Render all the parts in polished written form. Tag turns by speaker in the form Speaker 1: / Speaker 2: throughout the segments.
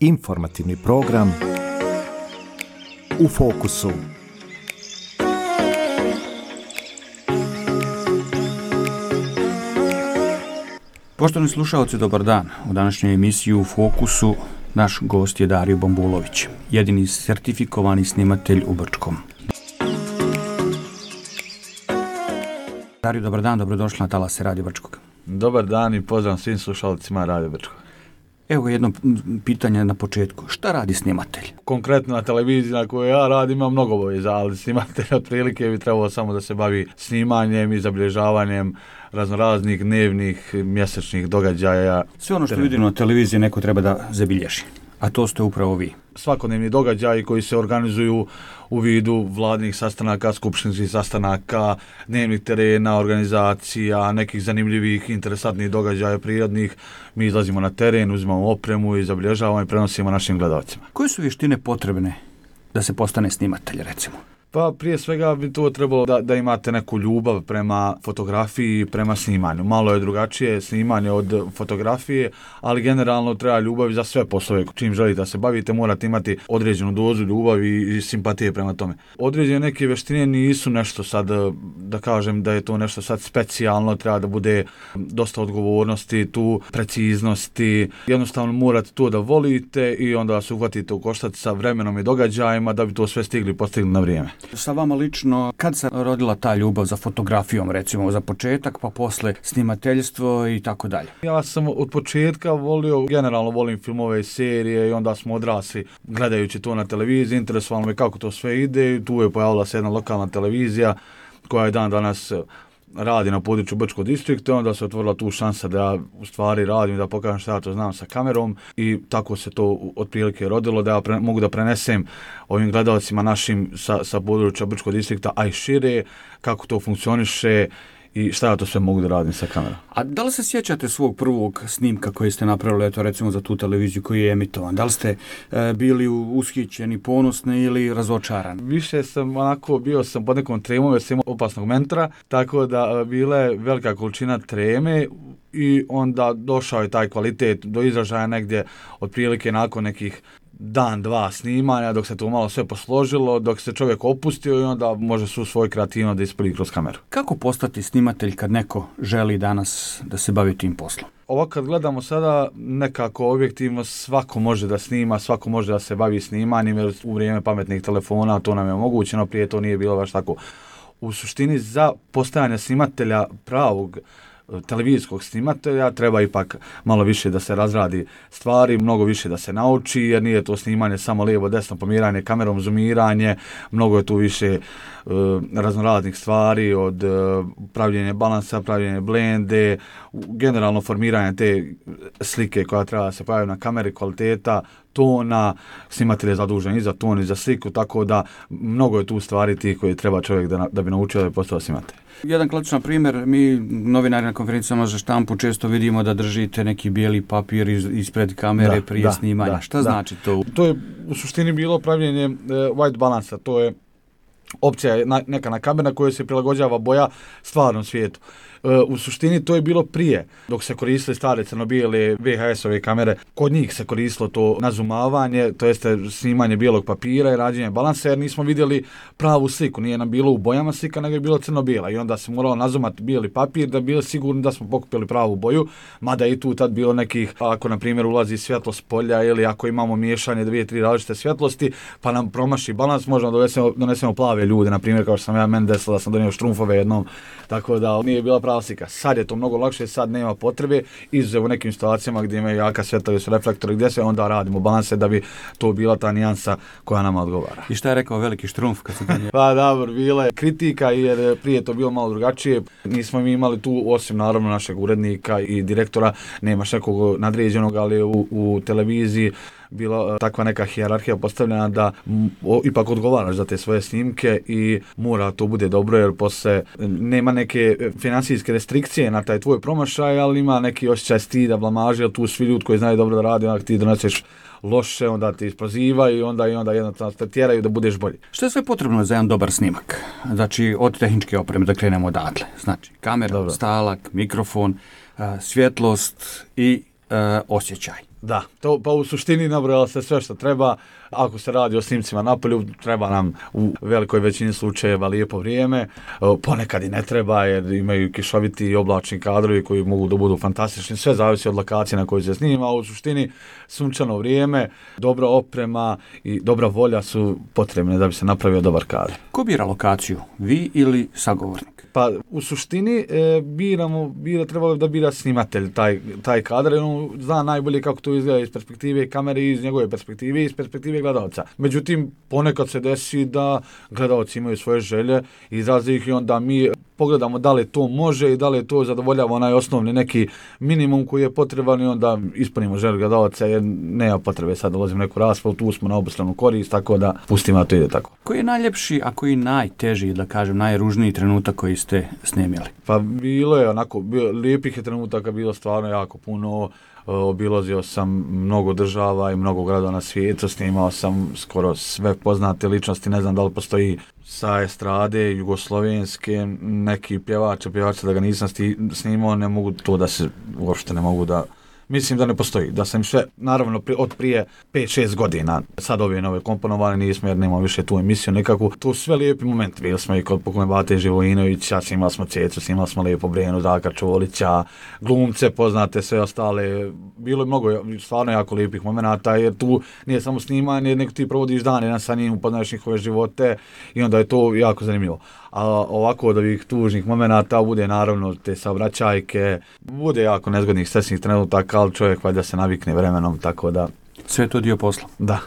Speaker 1: Informativni program U fokusu.
Speaker 2: Poštovani slušalci, dobar dan. U današnjoj emisiji U fokusu naš gost je Dario Bambulović, jedini sertifikovani snimatelj u Brčkom. Dario, dobar dan, dobrodošli na talase Radio Brčkog.
Speaker 3: Dobar dan i pozdrav svim slušalcima Radio Brčkog.
Speaker 2: Evo jedno pitanje na početku. Šta radi snimatelj?
Speaker 3: Konkretno na televiziji na kojoj ja radim ima mnogo obaveza, ali snimatelj otprilike bi trebalo samo da se bavi snimanjem i zabilježavanjem raznoraznih dnevnih, mjesečnih događaja.
Speaker 2: Sve ono što vidimo na televiziji neko treba da zabilježi, a to ste upravo vi.
Speaker 3: Svakodnevni događaji koji se organizuju u vidu vladnih sastanaka, skupštinskih sastanaka, dnevnih terena, organizacija, nekih zanimljivih, interesantnih događaja prirodnih. Mi izlazimo na teren, uzimamo opremu i zabilježavamo i prenosimo našim gledalcima.
Speaker 2: Koje su vještine potrebne da se postane snimatelj, recimo?
Speaker 3: Pa prije svega bi to trebalo da imate neku ljubav prema fotografiji i prema snimanju. Malo je drugačije snimanje od fotografije, ali generalno treba ljubav za sve poslove. Čim želite da se bavite, morate imati određenu dozu ljubavi i simpatije prema tome. Određene neke vještine nisu nešto sad, da kažem da je to nešto sad specijalno, treba da bude dosta odgovornosti, tu preciznosti. Jednostavno morate to da volite i onda se uhvatite u koštac sa vremenom i događajima da bi to sve postigli na vrijeme.
Speaker 2: Sa vama lično, kad se rodila ta ljubav za fotografijom, recimo za početak, pa posle snimateljstvo i tako dalje?
Speaker 3: Ja sam od početka generalno volim filmove i serije i onda smo odrasli gledajući to na televiziji, interesovalo me kako to sve ide i tu je pojavila se jedna lokalna televizija koja je dan danas radi na području Brčkog distrikta, onda se otvorila tu šansa da ja u stvari radim, da pokažem šta ja to znam sa kamerom i tako se to otprilike rodilo, da ja mogu da prenesem ovim gledalcima našim sa područja Brčkog distrikta, a i šire, kako to funkcioniše i šta ja to sve mogu da radim sa kamerom.
Speaker 2: A da li se sjećate svog prvog snimka koji ste napravili, eto recimo za tu televiziju koji je emitovan? Da li ste bili ushićeni, ponosni ili razočarani?
Speaker 3: Više sam bio sam pod nekom tremom jer sam imao opasnog mentora, tako da bila je velika količina treme i onda došao je taj kvalitet do izražaja negdje otprilike nakon nekih dan, dva snimanja, dok se to malo sve posložilo, dok se čovjek opustio i onda može su svoju kreativnost da ispolji kroz kameru.
Speaker 2: Kako postati snimatelj kad neko želi danas da se bavi tim poslom?
Speaker 3: Ovo kad gledamo sada nekako objektivno, svako može da snima, svako može da se bavi snimanjem, jer u vrijeme pametnih telefona to nam je omogućeno, prije to nije bilo baš tako. U suštini za postajanje snimatelja pravog televizijskog snimatelja treba ipak malo više da se razradi stvari, mnogo više da se nauči, jer nije to snimanje samo lijevo, desno, pomiranje kamerom, zoomiranje, mnogo je tu više raznoraznih stvari, od pravljenja balansa, pravljenja blende, generalno formiranje te slike koja treba da se pojavi na kameri, kvaliteta tona, snimatelj je zadužen i za ton i za sliku, tako da mnogo je tu stvari tih koje treba čovjek da bi naučio da bi postao snimatelj.
Speaker 2: Jedan klasičan primjer, mi novinari na konferencijama za štampu često vidimo da držite neki bijeli papir ispred kamere prije snimanja. Šta znači to?
Speaker 3: To je u suštini bilo pravljenje white balansa, to je opcija neka na kamera koja se prilagođava boja stvarnom svijetu. U suštini to je bilo prije, dok se koristile stare crno-bijele VHS-ove kamere, kod njih se koristilo to nazumavanje, to jeste snimanje bijelog papira i rađenje balansa, jer nismo vidjeli pravu sliku, nije nam bilo u bojama slika, nego je bilo crno-bijela i onda se moralo nazumati bijeli papir da bi bili sigurni da smo pokupili pravu boju, mada i tu tad bilo nekih, ako na primjer ulazi svjetlo s polja ili ako imamo miješanje 2-3 različite svjetlosti, pa nam promaši balans, možemo donesemo plave ljude, na primjer kao što sam ja meni desilo da sam donio štrumfove jednom, tako da nije bila prava slika. Sad je to mnogo lakše, sad nema potrebe, izuzev u nekim situacijama gdje imaju jaka svjetla, su reflektori, gdje se onda radimo balanse da bi to bila ta nijansa koja nama odgovara.
Speaker 2: I šta je rekao veliki štrumf kad se donio?
Speaker 3: Pa dobro, bila je kritika jer prije to bilo malo drugačije. Nismo mi imali tu, osim naravno našeg urednika i direktora, nemaš nekog nadređenog, ali u televiziji bila takva neka hijerarhija postavljena da ipak odgovaraš za te svoje snimke i mora to bude dobro, jer posle nema neke financijske restrikcije na taj tvoj promašaj, ali ima neki osjećaj stida, blamaže, jer tu svi ljudi koji znaju dobro da radi, onda ti doneseš loše, onda ti isprozivaju i onda jednostavno te tjeraju da budeš bolji.
Speaker 2: Što je sve potrebno za jedan dobar snimak? Znači, od tehničke opreme da krenemo odatle. Znači, kamera, stalak, mikrofon, svjetlost i osjećaj.
Speaker 3: Da, to pa u suštini nabrojalo se sve što treba. Ako se radi o snimcima napolju, treba nam u velikoj većini slučajeva lijepo vrijeme. Ponekad i ne treba jer imaju kišoviti i oblačni kadrovi koji mogu da budu fantastični. Sve zavisi od lokacije na kojoj se snima, a u suštini sunčano vrijeme, dobra oprema i dobra volja su potrebne da bi se napravio dobar kadar.
Speaker 2: Ko bira lokaciju? Vi ili sagovornik?
Speaker 3: Pa u suštini trebalo da bira snimatelj taj kadar, jer on zna najbolje kako to izgleda iz perspektive kamere, iz njegove perspektive, iz perspektive gledalca. Međutim, ponekad se desi da gledalci imaju svoje želje, izraze ih i onda mi pogledamo da li to može i da li to zadovoljava onaj osnovni neki minimum koji je potreban i onda ispunimo želju gledalca jer nema potrebe sad dolazimo neku raspravu, tu smo na obostranu korist, tako da pustimo da to ide tako. Koji
Speaker 2: je najljepši, a koji najteži, da kažem, najružniji trenutak koji ste snimili?
Speaker 3: Pa bilo je onako, lijepih je trenutaka bilo stvarno jako puno. Obilazio sam mnogo država i mnogo gradova na svijetu, snimao sam skoro sve poznate ličnosti, ne znam da li postoji sa estrade, jugoslovenske, neki pjevača da ga nisam snimao, ne mogu to da se, uopšte ne mogu da, mislim da ne postoji, da sam sve, naravno od prije 5-6 godina, sad ove nove komponovane nismo jer nemamo više tu emisiju nekakvu, to su sve lijepi momenti, bili smo i kod pokojne Bate Živojinovića, snimali smo Cecu, snimali smo Lijepo Brenu, Zaka Čolića, glumce, poznate, sve ostale, bilo je mnogo stvarno jako lijepih momenata jer tu nije samo snimanje, nego ti provodiš dan jedan sa njim, upoznaš njihove živote i onda je to jako zanimljivo. A ovako od ovih tužnih momenata bude naravno te saobraćajke, bude jako nezgodnih stresnih trenutaka, ali čovjek valjda se navikne vremenom, tako da...
Speaker 2: Sve je to dio posla.
Speaker 3: Da.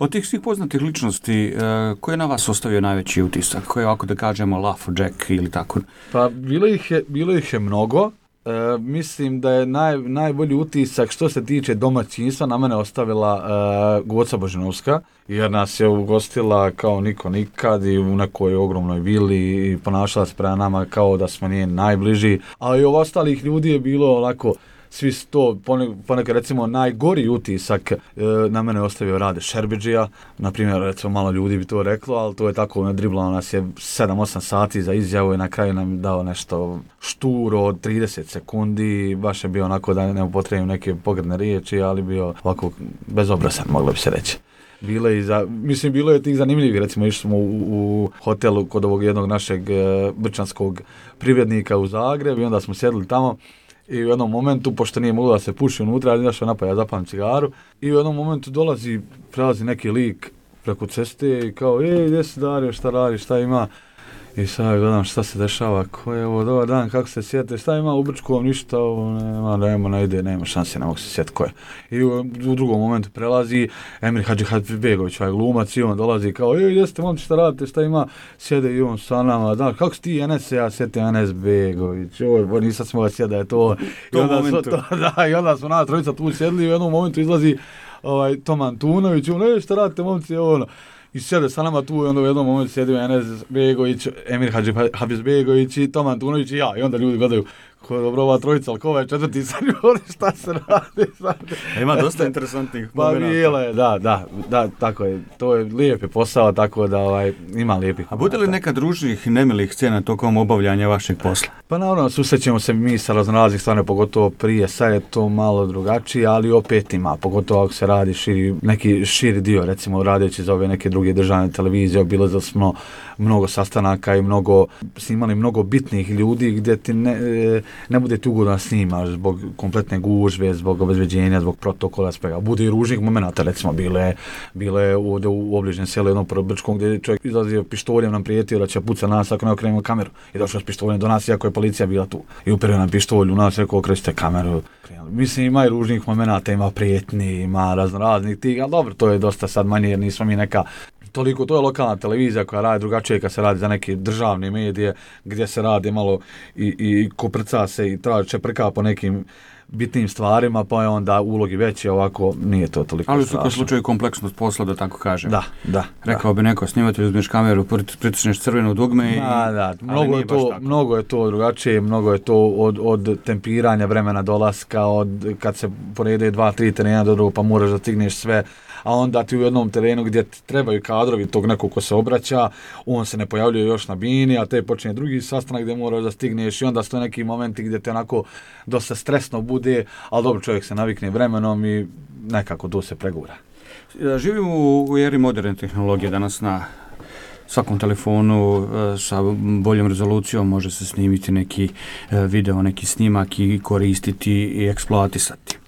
Speaker 2: Od tih svih poznatih ličnosti, ko je na vas ostavio najveći utisak? Ko je ovako da kažemo Lafo Jack ili tako?
Speaker 3: Pa bilo ih je mnogo. Mislim da je najbolji utisak što se tiče domaćinstva na mene ostavila Goca Božinovska, jer nas je ugostila kao niko nikad i u nekoj ogromnoj vili i ponašala se prema nama kao da smo njen najbliži, a i od ostalih ljudi je bilo onako, svi su to, ponekad recimo najgori utisak na mene ostavio Rade Šerbidžija, na primjer recimo malo ljudi bi to reklo, ali to je tako, nadriblao nas je 7-8 sati za izjavu i na kraju nam dao nešto šturo od 30 sekundi, baš je bio onako da ne upotrebim neke pogrdne riječi, ali bio ovako bezobrazan, moglo bi se reći. Bilo je tih zanimljivih, recimo išli smo u hotelu kod ovog jednog našeg brčanskog privrednika u Zagreb i onda smo sjedili tamo. I u jednom momentu, pošto nije moglo da se puši unutra, ali izašao napad, ja zapalim cigaru. I u jednom momentu prelazi neki lik preko ceste i kao, gdje si Dario, šta radiš, šta ima? I sad gledam šta se dešava, ko je ovo, dobar dan, kako se sjete, šta ima u Brčkom, ništa, nema šanse, ne mogu se sjeti ko je. I u drugom momentu prelazi Emir Hadžibegović, ovaj glumac, i on dolazi kao, gdje ste momci, šta radite, šta ima, sjede i on sa nama, da, kako si ti Enes, ja sjetim Enes Begović, nisam smo ga sjeda, je to. I onda smo na trojica tu sjedli i u jednom momentu izlazi Tom Antunović, šta radite momci, i sjede sa nama tu i onda u jednom momentu sjedio Enes Begović, Emir Hadžibegović i Tom Antunović i ja. I onda ljudi gledaju, ko je dobro ova trojica, ali ko ovaj četvrti sad šta se radi sad.
Speaker 2: Ima dosta interesantnih
Speaker 3: momenata. Pa bilo je, da, tako je. To je lijep posao, tako da ima lijepih.
Speaker 2: A bude li neka družnih nemilih scena tokom obavljanja vašeg posla?
Speaker 3: Pa naravno, susrećemo se mi sa raznoraznih stvarno, pogotovo prije, sad je to malo drugačije, ali opet ima, pogotovo ako se radi neki širi dio, recimo radeći za ove neke druge državne televizije, obilazili smo mnogo sastanaka i snimali mnogo bitnih ljudi gdje ti ne bude ti ugodno snimaš zbog kompletne gužve, zbog obezbeđenja, zbog protokola, svega. Bude i ružnih momenata, recimo bile ovdje u obližnjem selu jednom Brčkom gdje je čovjek izlazio pištoljem, nam prijetio da će puca nas ako ne okrenemo kameru. I došao s pištoljem do nas, iako je policija bila tu. I uperio nam pištolj u nas, rekao okrećite kameru. Mislim, ima i ružnih momenata, ima prijetni, ima raznoraznih tih, ali dobro, to je dosta sad manje jer nismo mi neka toliko, to je lokalna televizija koja radi drugačije kad se radi za neke državne medije gdje se radi malo i koprca se i čeprka po nekim bitnim stvarima, pa je onda ulogi veći, ovako nije to toliko
Speaker 2: ali strašno. Ali u slučaju kompleksnost posla, da tako kažem.
Speaker 3: Da.
Speaker 2: Rekao bi neko, snimatelj, uzmeš kameru, pritisneš crveno dugme i...
Speaker 3: Da, mnogo je to drugačije, mnogo je to od tempiranja vremena dolaska, od kad se porede 2-3 terena do drugog, pa moraš da stigneš sve, a onda ti u jednom terenu gdje trebaju kadrovi tog nekog ko se obraća, on se ne pojavljuje još na bini, a te počinje drugi sastanak gdje moraš da stigneš i onda stoje neki momenti gdje te onako dosta stresno bude, ali dobro, čovjek se navikne vremenom i nekako to se pregura.
Speaker 2: Živimo u eri moderne tehnologije, danas na svakom telefonu sa boljom rezolucijom može se snimiti neki video, neki snimak i koristiti i eksploatisati.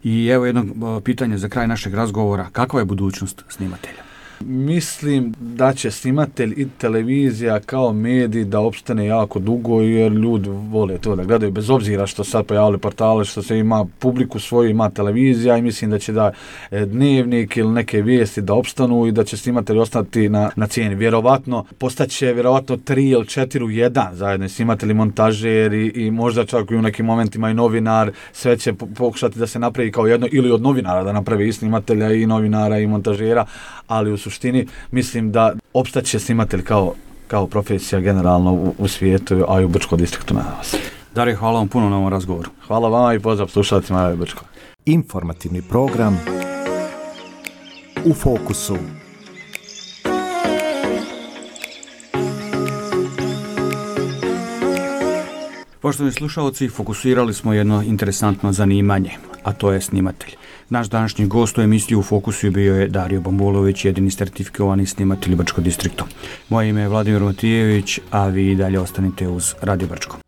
Speaker 2: I evo jedno pitanje za kraj našeg razgovora. Kakva je budućnost snimatelja?
Speaker 3: Mislim da će snimatelj i televizija kao medij da opstane jako dugo jer ljudi vole to da gledaju bez obzira što sad pojavili portale, što se ima publiku svoju, ima televizija i mislim da će da dnevnik ili neke vijesti da opstanu i da će snimatelj ostati na cijeni. Vjerovatno postaće vjerovatno 3 ili 4 u 1 zajedno snimatelj, montažer i možda čak i u nekim momentima i novinar, sve će pokušati da se napravi kao jedno ili od novinara da napravi i snimatelja i novinara i montažera, ali u suštini mislim da opstaće snimatelj kao profesija generalno u svijetu, a i u Brčkom distriktu na vas.
Speaker 2: Dario, hvala vam puno na ovom razgovoru.
Speaker 3: Hvala vama i pozdrav slušalcima Radio Brčko.
Speaker 1: Informativni program U fokusu.
Speaker 2: Poštovani slušalci, fokusirali smo jedno interesantno zanimanje, a to je snimatelj. Naš današnji gost u emisiji U fokusu bio je Dario Bambulović, jedini sertifikovani snimatelj Brčko distriktu. Moje ime je Vladimir Matijević, a vi dalje ostanite uz Radio Brčko.